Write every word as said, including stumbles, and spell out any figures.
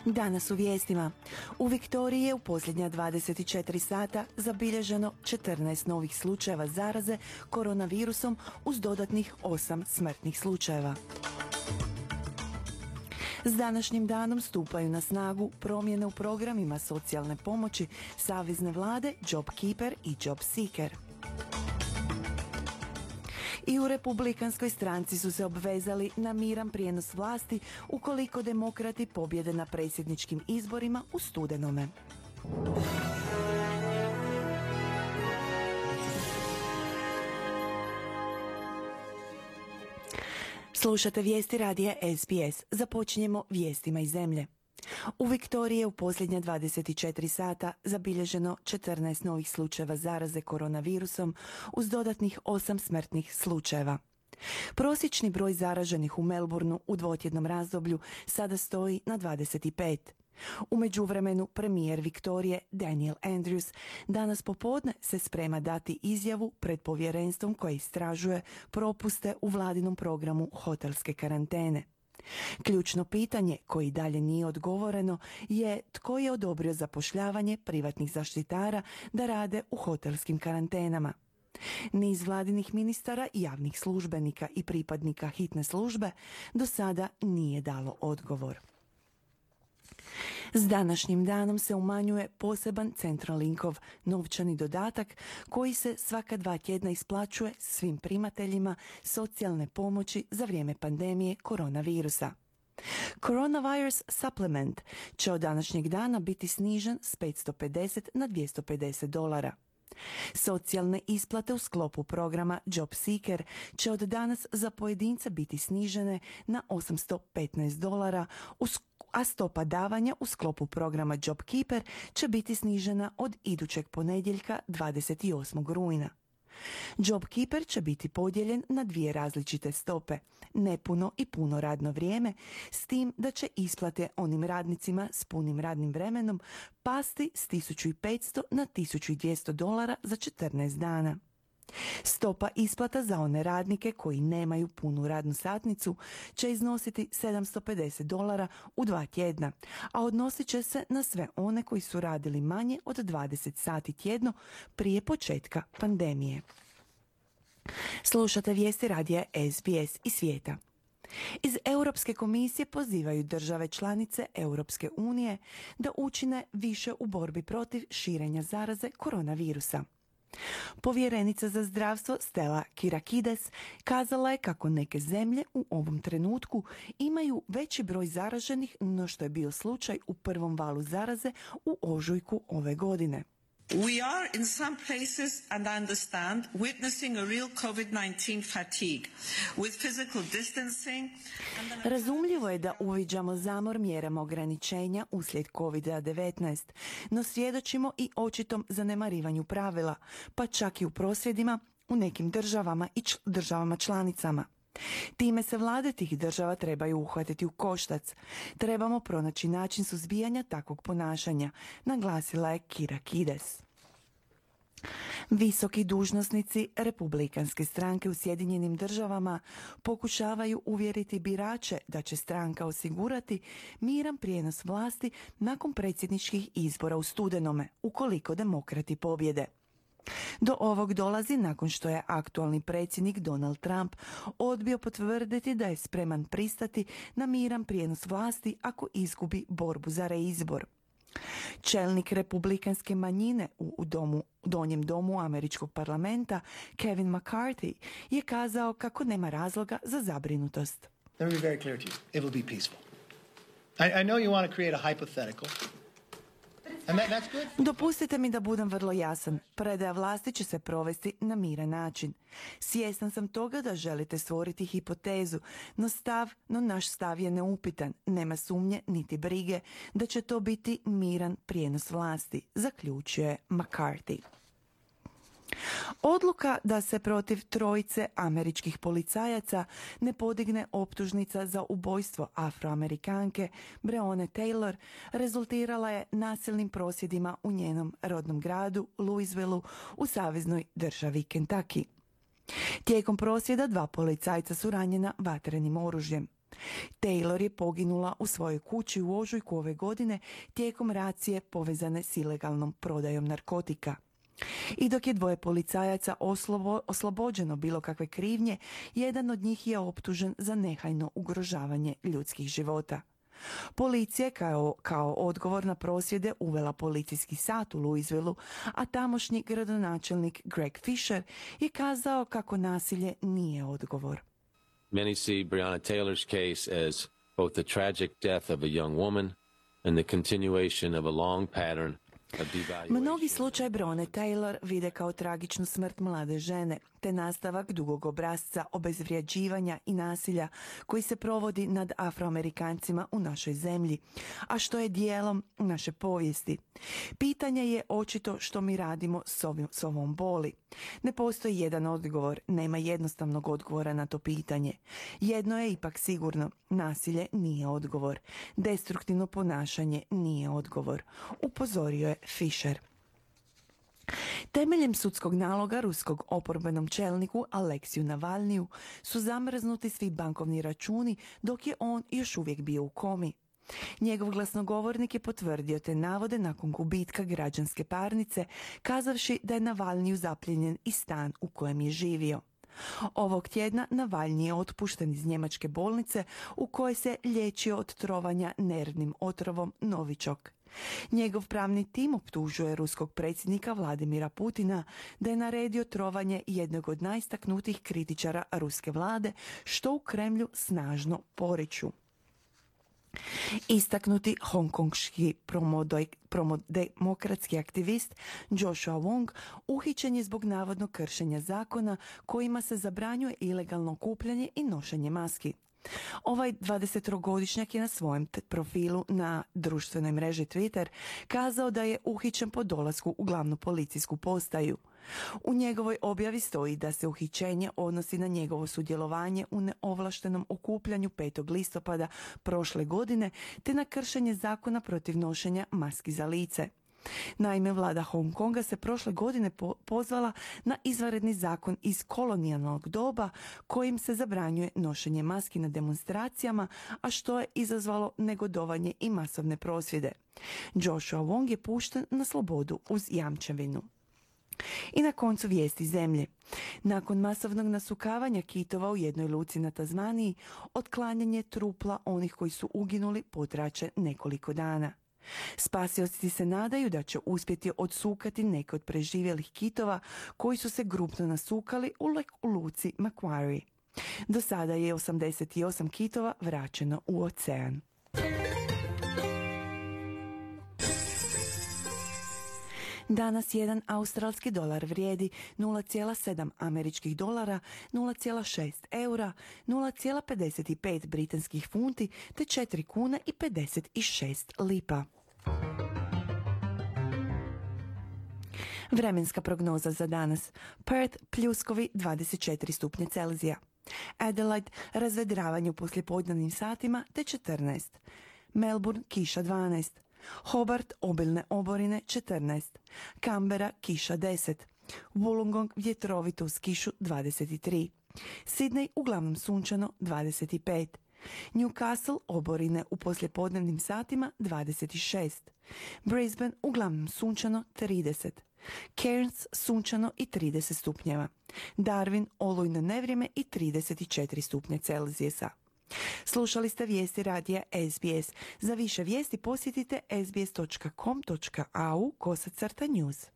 Danas u vijestima. U Viktoriji je u posljednja dvadeset četiri sata zabilježeno četrnaest novih slučajeva zaraze koronavirusom uz dodatnih osam smrtnih slučajeva. S današnjim danom stupaju na snagu promjene u programima socijalne pomoći savezne vlade JobKeeper i JobSeeker. I u Republikanskoj stranci su se obvezali na miran prijenos vlasti ukoliko demokrati pobjede na predsjedničkim izborima u studenome. Slušate vijesti radija S B S. Započinjemo vijestima iz zemlje. U Viktoriji je u posljednja dvadeset četiri sata zabilježeno četrnaest novih slučajeva zaraze koronavirusom uz dodatnih osam smrtnih slučajeva. Prosječni broj zaraženih u Melbourneu u dvotjednom razdoblju sada stoji na dvadeset pet. U međuvremenu premijer Viktorije Daniel Andrews danas popodne se sprema dati izjavu pred povjerenstvom koje istražuje propuste u vladinom programu hotelske karantene. Ključno pitanje koje i dalje nije odgovoreno je tko je odobrio zapošljavanje privatnih zaštitara da rade u hotelskim karantenama. Niz vladinih ministara, javnih službenika i pripadnika hitne službe do sada nije dalo odgovor. S današnjim danom se umanjuje poseban Centralinkov novčani dodatak koji se svaka dva tjedna isplaćuje svim primateljima socijalne pomoći za vrijeme pandemije koronavirusa. Coronavirus Supplement će od današnjeg dana biti snižen s petsto pedeset na dvjesto pedeset dolara. Socijalne isplate u sklopu programa JobSeeker će od danas za pojedinca biti snižene na osamsto petnaest dolara, a stopa davanja u sklopu programa JobKeeper će biti snižena od idućeg ponedjeljka dvadeset osmog rujna. JobKeeper će biti podijeljen na dvije različite stope, nepuno i puno radno vrijeme, s tim da će isplate onim radnicima s punim radnim vremenom pasti s tisuću petsto na tisuću dvjesto dolara za četrnaest dana. Stopa isplata za one radnike koji nemaju punu radnu satnicu će iznositi sedamsto pedeset dolara u dva tjedna, a odnosit će se na sve one koji su radili manje od dvadeset sati tjedno prije početka pandemije. Slušate vijesti radija S B S i svijeta. Iz Europske komisije pozivaju države članice Europske unije da učine više u borbi protiv širenja zaraze koronavirusa. Povjerenica za zdravstvo Stella Kyriakides kazala je kako neke zemlje u ovom trenutku imaju veći broj zaraženih no što je bio slučaj u prvom valu zaraze u ožujku ove godine. We are in some places, and I understand, witnessing a real COVID nineteen fatigue with physical distancing. Razumljivo je da uviđamo zamor mjerama ograničenja uslijed covid devetnaest, no svjedočimo i očitom zanemarivanju pravila, pa čak i u prosvjedima u nekim državama i č- državama članicama. Time se vlade tih država trebaju uhvatiti u koštac. Trebamo pronaći način suzbijanja takvog ponašanja, naglasila je Kyriakides. Visoki dužnosnici Republikanske stranke u Sjedinjenim državama pokušavaju uvjeriti birače da će stranka osigurati miran prijenos vlasti nakon predsjedničkih izbora u studenome, ukoliko demokrati pobjede. Do ovog dolazi nakon što je aktualni predsjednik Donald Trump odbio potvrditi da je spreman pristati na miran prijenos vlasti ako izgubi borbu za reizbor. Čelnik republikanske manjine u domu, donjem domu američkog parlamenta Kevin McCarthy je kazao kako nema razloga za zabrinutost. Let me be very clear to you. It will be peaceful. I, I know you want to create a hypothetical. And that, that's good. Dopustite mi da budem vrlo jasan. Predaja vlasti će se provesti na miran način. Svjestan sam toga da želite stvoriti hipotezu, no stav, no naš stav je neupitan. Nema sumnje niti brige da će to biti miran prijenos vlasti, zaključio je McCarthy. Odluka da se protiv trojice američkih policajaca ne podigne optužnica za ubojstvo Afroamerikanke Breonna Taylor rezultirala je nasilnim prosvjedima u njenom rodnom gradu Louisvilleu u saveznoj državi Kentucky. Tijekom prosvjeda dva policajca su ranjena vatrenim oružjem. Taylor je poginula u svojoj kući u ožujku ove godine tijekom racije povezane s ilegalnom prodajom narkotika. I dok je dvoje policajaca oslobo, oslobođeno bilo kakve krivnje, jedan od njih je optužen za nehajno ugrožavanje ljudskih života. Policija je kao, kao odgovor na prosvjede uvela policijski sat u Louisvilleu, a tamošnji gradonačelnik Greg Fisher je kazao kako nasilje nije odgovor. Many see Breonna Taylor's case as both the tragic death of a young woman and the continuation of a long pattern. Mnogi slučaj Breonne Taylor vide kao tragičnu smrt mlade žene, te nastavak dugog obrasca obezvrijeđivanja i nasilja koji se provodi nad Afroamerikancima u našoj zemlji, a što je dijelom naše povijesti. Pitanje je očito što mi radimo s, ovim, s ovom boli. Ne postoji jedan odgovor, nema jednostavnog odgovora na to pitanje. Jedno je ipak sigurno, nasilje nije odgovor. Destruktivno ponašanje nije odgovor, upozorio je Fisher. Temeljem sudskog naloga ruskog oporbenom čelniku Aleksiju Navalniju su zamrznuti svi bankovni računi dok je on još uvijek bio u komi. Njegov glasnogovornik je potvrdio te navode nakon gubitka građanske parnice, kazavši da je Navalniju zaplijenjen i stan u kojem je živio. Ovog tjedna Navalnji je otpušten iz njemačke bolnice u kojoj se liječio od trovanja nervnim otrovom Novičok. Njegov pravni tim optužuje ruskog predsjednika Vladimira Putina da je naredio trovanje jednog od najistaknutijih kritičara ruske vlade, što u Kremlju snažno poriču. Istaknuti hongkongški promodemokratski aktivist Joshua Wong uhićen je zbog navodnog kršenja zakona kojima se zabranjuje ilegalno okupljanje i nošenje maski. Ovaj dvadesettrogodišnjak je na svojem profilu na društvenoj mreži Twitter kazao da je uhićen po dolasku u glavnu policijsku postaju. U njegovoj objavi stoji da se uhićenje odnosi na njegovo sudjelovanje u neovlaštenom okupljanju petog listopada prošle godine te na kršenje zakona protiv nošenja maski za lice. Naime, vlada Hong Konga se prošle godine po- pozvala na izvanredni zakon iz kolonijalnog doba kojim se zabranjuje nošenje maski na demonstracijama, a što je izazvalo negodovanje i masovne prosvjede. Joshua Wong je pušten na slobodu uz jamčevinu. I na koncu vijesti zemlje. Nakon masovnog nasukavanja kitova u jednoj luci na Tazmaniji, otklanjanje trupla onih koji su uginuli potraće nekoliko dana. Spasioci se nadaju da će uspjeti odsukati neke od preživjelih kitova koji su se grupno nasukali u, le- u luci Macquarie. Do sada je osamdeset osam kitova vraćeno u ocean. Danas jedan australski dolar vrijedi nula zarez sedam američkih dolara, nula zarez šest eura, nula zarez pedeset pet britanskih funti te četiri kune i pedeset šest lipa. Vremenska prognoza za danas. Perth pljuskovi dvadeset četiri stupnje Celzija. Adelaide razvedravanje u poslijepodnevnim satima te četrnaest. Melbourne kiša dvanaest. Hobart obilne oborine četrnaest. Canberra kiša deset. Wollongong vjetrovito uz kišu dvadeset tri. Sydney uglavnom sunčano dvadeset pet. Newcastle oborine u poslijepodnevnim satima dvadeset šest. Brisbane uglavnom sunčano trideset. Cairns sunčano i trideset stupnjeva. Darwin olujno nevrijeme i trideset četiri stupnje Celzijusa. Slušali ste vijesti radija S B S. Za više vijesti posjetite s b s dot com dot a u kosacrta news.